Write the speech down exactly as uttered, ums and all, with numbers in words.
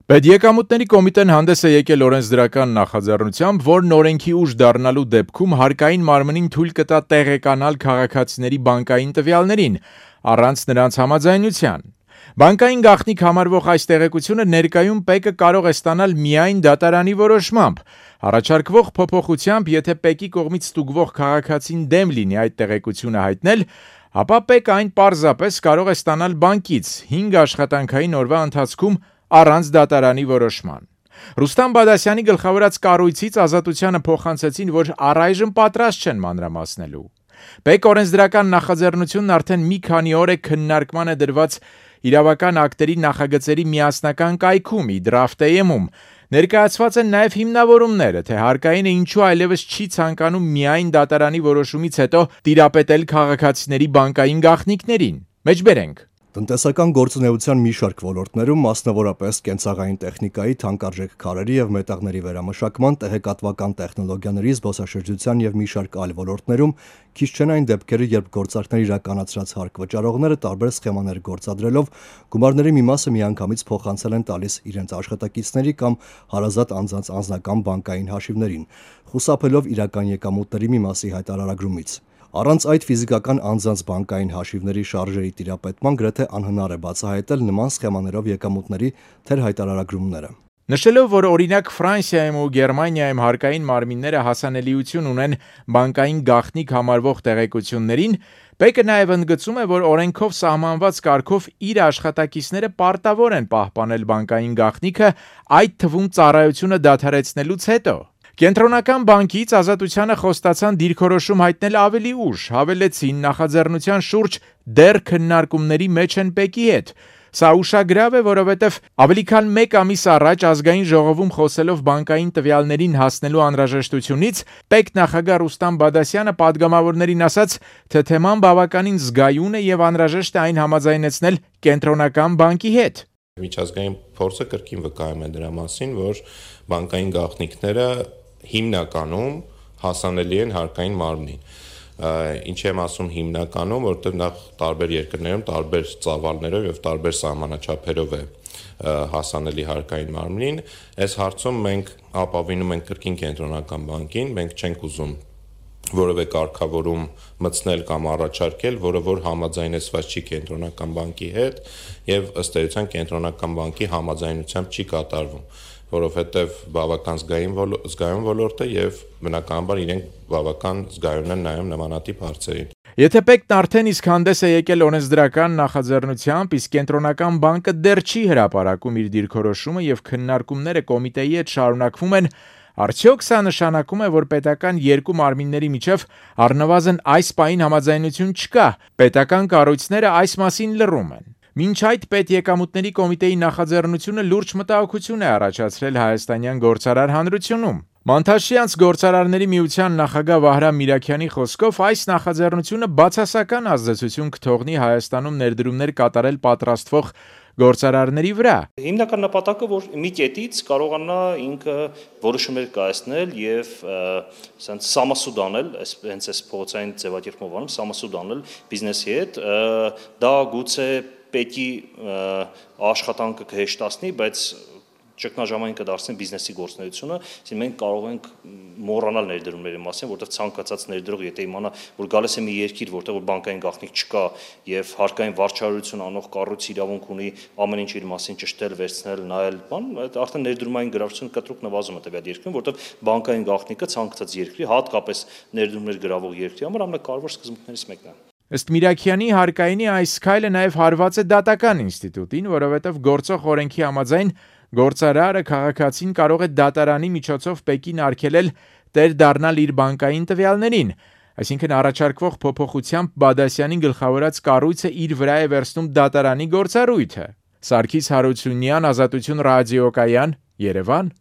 Պետեկամուտների կոմիտեն հանդես է եկել օրենսդրական նախաձեռնությամբ, որն օրենքի ուժ դառնալու դեպքում հարկային մարմնին թույլ կտա տեղեկանալ քաղաքացիների բանկային տվյալներին, առանց նրանց համաձայնության։ Բանկային գաղտնիք համարվող այս տեղեկությունը ներկայում ՊԵԿ-ը կարող է ստանալ միայն դատարանի որոշմամբ։ Առաջարկվող փոփոխությամբ, եթե ՊԵԿ-ի կողմից ստուգվող քաղաքացին դեմ լինի այդ տեղեկությունը հայտնել, ապա ՊԵԿ-ը այն պարզապես կարող է ստանալ բանկից հինգ աշխատանքային օրվա ընթացքում առանց դատարանի որոշման։ Ռուստամ Բադասյանի գլխավորած կառույցից Ազատությանը փոխանցեցին, որ առայժմ պատրաստ չեն մանրամասնելու։ ՊԵԿ օրենսդրական նախաձեռնությունն արդեն մի քանի օր է քննարկման է դրված իրավական ակտերի նախագծերի միասնական կայքում՝ Իդրաֆտեյում։ Ներկայացված են նաև հիմնավորումները, թե հարկայինը ինչու այլևս չի ցանկանում միայն դատարանի որոշումից հետո տիրապետել քաղաքացիների բանկային գաղտնիքներին։ Մեջբերենք։ Տնտեսական գործունեության մի շարք ոլորտներում, մասնավորապես կենցաղային տեխնիկայի, թանկարժեք քարերի և մետաղների վերամշակման, տեղեկատվական տեխնոլոգիաների, զբոսաշրջության և մի շարք այլ ոլորտներում քիչ չեն այն դեպքերը, երբ գործարքներ իրականացրած հարկ վճարողները տարբեր սխեմաներ գործադրելով գումարների մի մասը միանգամից փոխանցել են տալիս իրենց աշխատակիցների կամ հարազատ անձանց անձնական բանկային հաշիվներին, խուսափելով իրական եկամուտների մի մասի հայտարարագրումից։ Առանց այդ ֆիզիկական անձանց բանկային հաշիվների շարժերի տիրապետման գրեթե անհնար է բացահայտել նման սխեմաներով եկամուտների թերհայտարարագրումները։ Նշելով, որ օրինակ Ֆրանսիայում ու Գերմանիայում հարկային մարմինները հասանելիություն ունեն բանկային գաղտնիք համարվող տեղեկություններին, ՊԵԿ-ը նաև ընդգծում է, որ օրենքով սահմանված կարգով իր աշխատակիցները պարտավոր են պահպանել բանկային գաղտնիքը, այդ թվում ծառայությունը դադարեցնելուց հետո։ Կենտրոնական բանկից Ազատությանը խոստացան դիրքորոշում հայտնել ավելի ուշ, հավելեցին նախաձեռնության շուրջ դեռ քննարկումների մեջ են ՊԵԿ-ի հետ։ Սա ուշագրավ է, որովհետև ավելի քան մեկ ամիս առաջ Ազգային ժողովում խոսելով բանկային տվյալներին հասնելու անհրաժեշտությունից, ՊԵԿ նախագահ Ռուստամ Բադասյանը պատգամավորներին ասաց, թե թեման բավականին զգայուն է և անհրաժեշտ է այն համաձայնեցնել Կենտրոնական բանկի հետ։ Միջազգային փորձը կրկին վկայում է դրա մասին, որ բանկային գաղտնիքները հիմնականում հասանելի են հարկային մարմնին։ Ինչ եմ ասում հիմնականում, որովհետև նախ տարբեր երկրներում տարբեր ծավալներով եւ տարբեր սահմանաչափերով է հասանելի հարկային մարմնին։ Այս հարցում մենք ապավինում ենք կրկին Կենտրոնական բանկին, մենք չենք ուզում որևէ կարգավորում մտցնել կամ առաջարկել, որը որ համաձայնեցված չի Կենտրոնական բանկի հետ եւ ըստ էության Կենտրոնական բանկի համաձայնությամբ չի կատարվում, որովհետեւ բավական զգայուն զգայուն ոլորտ է եւ բնականաբար իրենք բավական զգայուն են նաեւ նմանատիպ հարցերին։ Եթե ՊԵԿ-ն արդեն իսկ հանդես է եկել օրենսդրական նախաձեռնությամբ, իսկ Կենտրոնական բանկը դեռ չի հրապարակում իր դիրքորոշումը եւ քննարկումները կոմիտեի հետ շարունակվում են, արդյոք սա նշանակում է, որ պետական երկու մարմինների միջև առնվազն այս պահին համաձայնություն չկա, պետական կառույցները այս մասին լռում են։ Մինչ այդ Պետեկամուտների կոմիտեի նախաձեռնությունը լուրջ մտահոգություն է առաջացրել հայաստանյան գործարար հանրությունում։ Մանթաշյանց գործարարների միության նախագահ Վահրամ Միրաքյանի խոսքով այս նախաձեռնությունը բացասական ազդեցություն կթողնի Հայաստանում ներդրումներ կատարել պատրաստվող գործարարների վրա։ Հիմնական նպատակը, որ մի կետից կարողանա ինքը որոշումներ կայացնել եւ ասենց սամասուդ անել, հենց այս փողոցային ձևակերպմով անում, սամասուդ անել բիզնեսի հետ, դա գուցե ՊԵԿ-ի աշխատանքը կհեշտացնի, բայց ճգնաժամային կդարձնի բիզնեսի գործունեությունը, այսինքն մենք կարող ենք մոռանալ ներդրումների մասին, որտեղ ցանկացած ներդրող եթե իմանա, որ գալիս է մի երկիր, որտեղ որ բանկային գաղտնիք չկա եւ հարկային վարչարություն անող կառույցը իրավունք ունի ամեն ինչ իր մասին ճշտել, վերցնել, նայել, բան, այդ արդեն ներդրումային գրավչությունը կտրուկ նվազում է տվյալ երկրում, որտեղ բանկային գաղտնիքը ցանկացած երկրի, հատկապես ներդրումներ գրավող երկրի համար ամենակարևոր սկզբունքներից մեկն է։ Ըստ Միրաքյանի հարկայինի այս քայլը նաև հարված է դատական ինստիտուտին, որովհետև գործող օրենքի համաձայն գործարարը քաղաքացին կարող է դատարանի միջոցով ՊԵԿ-ին արգելել տեր դառնալ իր բանկային տվյալներին, այսինքն առաջարկվող փոփոխությամբ Բադասյանի գլխավորած կառույցը իր վրա է վերցնում դատարանի գործառույթը։ Սարգիս Հարությունյան, Ազատություն ռադիոկայան, Երևան։